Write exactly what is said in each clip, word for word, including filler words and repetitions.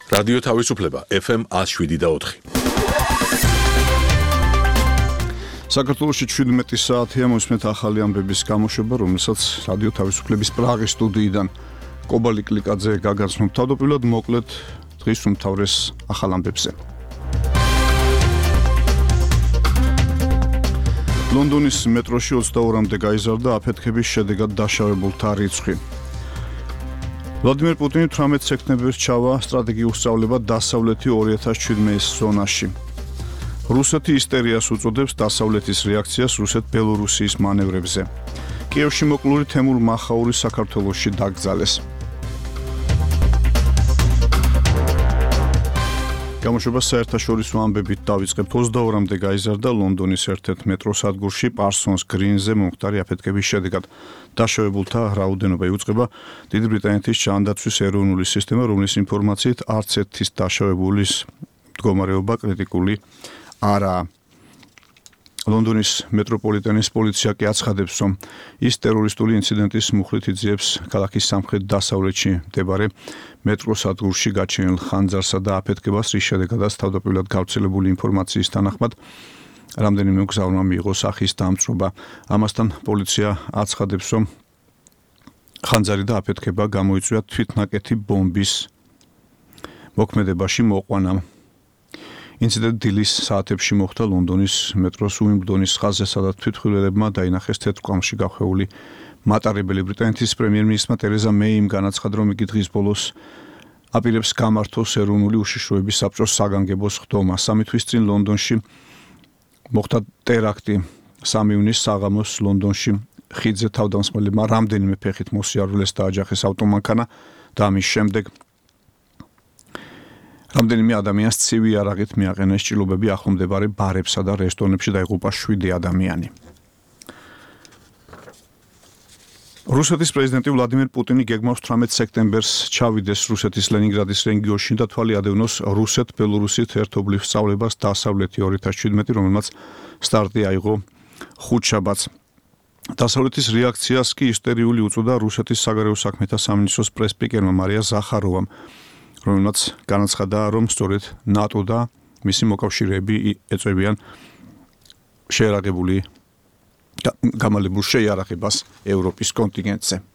რადიო თავისუფლება ეფ ემ one oh seven და four. საქართველოში შვიდმეტი საათია მოსმენთ ახალი ამბების გამოშვება, რომელსაც რადიო თავისუფლების პრაღის სტუდიიდან კობალი კლიკაძე გაგაცნობ. თავდაპირველად მოკლედ დღის უმთავრეს ახალ ამბებზე. ლონდონის მეტროში ოცდაორამდე გაიზარდა აფეთქების შედეგად დაშავებულთა რიცხვი. ვლადიმერ პუტინი თვრამეტ სექტემბერს ჩავა სტრატეგიულ სწავლებად დასავლეთი two thousand seventeen ზონაში. რუსეთი ისტერიას უწოდებს დასავლეთის რეაქციას რუსეთ-ბელორუსიის მანევრებზე. კიევში მოკლული თემურ მახაური საქართველოში დაკრძალეს. გამოშვება საერთაშორისო ამბებით დავიწყებთ. ოცდაორამდე გაიზარდა ლონდონის ერთ-ერთ მეტროსადგურში პარსონს გრინზე მომხდარი აფეთქების შედეგად. დაშავებულთა რაოდენობა იუწყება დიდი ბრიტანეთის ჯანდაცვის ეროვნული სისტემა, რომლის ინფორმაციით არც ერთის დაშავებულის მდგომარეობა კრიტიკული არაა. ლონდონის მეტროპოლიტენის პოლიცია კი აცხადებს, რომ ის ტერორისტული ინციდენტის მუხლით იძიებს ქალაქის სამხრეთ-დასავლეთში მდებარე მეტროსადგურში გაჩენილ ხანძარსა და აფეთქებას, რის შედეგადაც თავდაპირველად გავრცელებული ინფორმაციის თანახმად რამდენიმე მგზავრმა მიიღო სახის დამწვრობა. ამასთან პოლიცია აცხადებს, რომ ხანძარი და აფეთქება გამოიწვია თვითნაკეთი ბომბის მოქმედებაში მოყვანა. ინციდენტი დილის საათებში მოხდა ლონდონის მეტროს უიმბლდონის ხაზზე, სადაც თვითმხილველებმა დაინახეს თეთრ-კვამში გახვეული მატარებელი. ბრიტანეთის პრემიერ-მინისტრმა ტერეზა მეიმ განაცხადა, რომ იგი დღის ბოლოს აპირებს გამართოს ეროვნული უშიშროების საბჭოს საგანგებოს ხდომა. სამი თვის წინ ლონდონში მოხდა ტერაქტი. სამი ივნისს საღამოს ლონდონში ხიდზე თავდამსხმელებმა რამდენიმე ფეხით მოსიარულეს და აჯახეს ავტომანქანა და ამის შემდეგ რამდენიმე ადამიანს ცივი არაღით მიაყენეს ჭრილობები ახლომდებარე ბარებსა და რესტორნებში და იღუპა შვიდი ადამიანი. რუსეთის პრეზიდენტი ვლადიმერ პუტინი გეგმავს თვრამეტ სექტემბერს ჩავიდეს რუსეთის ლენინგრადის რეგიონში და თვალი ადევნოს რუსეთ-ბელორუსით ერთობლივ სწავლებას დასავლეთი two thousand seventeen, რომელმაც სტარტი აიღო ხუთშაბათს. დასავლეთის რეაქციას კი ისტერიული უწოდა რუსეთის საგარეო საქმეთა სამინისტროს პრეს-სპიკერმა მარია ზახაროვამ, რომელმაც განაცხადა, რომ სწორედ ნატო და მისი მოკავშირეები ეწევიან შეერაღებული გამალებულ შეიარაღებას ევროპის კონტინენტზე.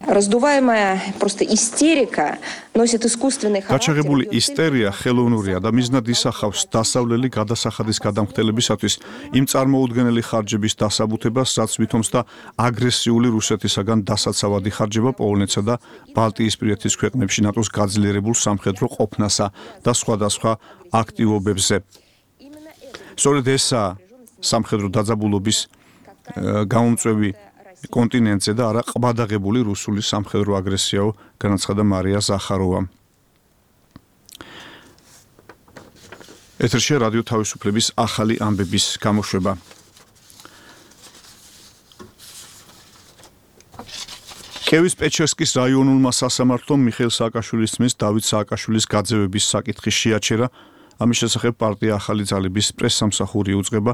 Раздуваемая просто истерика носит искусственный характер. გაჩაღებული ისტერია ხელოვნურია და მიზნად ისახავს დასავლელი გადასახადის გადამხდელებისათვის იმ წარმოუდგენელი ხარჯების დასაბუთებას, რაც ვითომს და აგრესიული რუსეთისაგან დასაცავადი ხარჯება პოლონეთსა და ბალტიისპირეთის ქვეყნებში ნატოს გაძლიერებულ სამხედრო ყოფნასა და სხვადასხვა აქტივობებზე. სწორედ ესაა სამხედრო დაძაბულობის გამომწვევი კონტინენტზე და არა ყბადაღებული რუსული სამხედრო აგრესიაო, განაცხადა მარია ზახაროვამ. ეთერშია რადიო თავისუფლების ახალი ამბების გამოშვება. კიევის პეჩერსკის რაიონულმა სასამართლომ მიხეილ სააკაშვილის ძმის დავით სააკაშვილის გაძევების საკითხი შეაჩერა. ამის შესახებ პარტია ახალი ძალების პრესსამსახური უძღვება.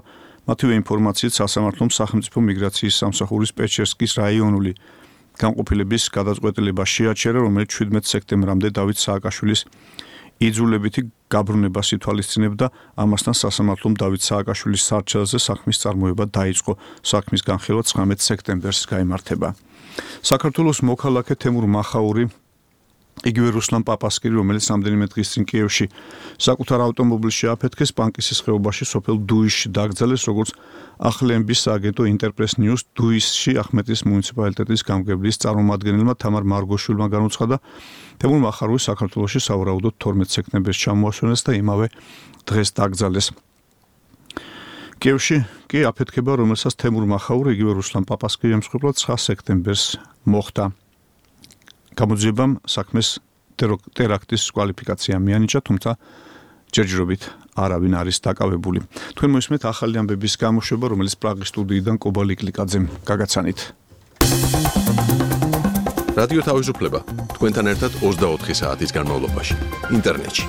მათივე ინფორმაციით სასამართლომ სახელმწიფო მიგრაციის სამსახურის პეჩერსკის რაიონული განყოფილების გადაწყვეტილება შეაჩერა, რომელიც შვიდმეტ სექტემბრამდე დავით სააკაშვილის იძულებითი გაბრუნებას ითვალისწინებდა. ამასთან სასამართლომ დავით სააკაშვილის სარჩელზე საქმის წარმოება დაიწყო. საქმის განხილვა ცხრამეტ სექტემბერს გაიმართება. საქართველოს მოქალაქე თემურ მახაური იგივე რუსლან პაპასკირი, რომელიც რამდენიმე დღის წინ კიევში საკუთარ ავტომობილში აფეთქეს, პანკისის ხეობაში სოფელ დუისში დაკრძალეს, როგორც ახლენბის სააგენტო ინტერპრეს ნიუს დუისში ახმეტის მუნიციპალიტეტის გამგებლის წარმომადგენელმა თამარ მარგოშვილმა განუცხადა, თემურ მახაროვი საქართველოში სავარაუდოდ თორმეტ სექტემბერს ჩამოასვენეს და იმავე დღეს დაკრძალეს. კიევში კი აფეთქება, რომელსაც თემურ მახაური იგივე რუსლან პაპასკირი ემსხვერპლა ცხრა სექტემბერს მოხდა. გამოძიებამ საქმეს ტერაქტის კვალიფიკაცია მიანიჭა, თუმცა ჯერჯერობით არავინ არის დაკავებული. თქვენ მოისმენთ ახალი ამბების გამოშვება, რომელიც პრაღის სტუდიიდან კობალი კლიკაძემ გაგაცანით. რადიო თავისუფლება თქვენთან ერთად ოცდაოთხი საათის განმავლობაში ინტერნეტში.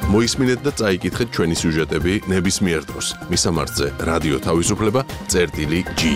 მოისმინეთ და წაიკითხეთ ჩვენი სიუჟეტები ნებისმიერ დროს. მისამართზე რადიო თავისუფლება წერტილი ჯი.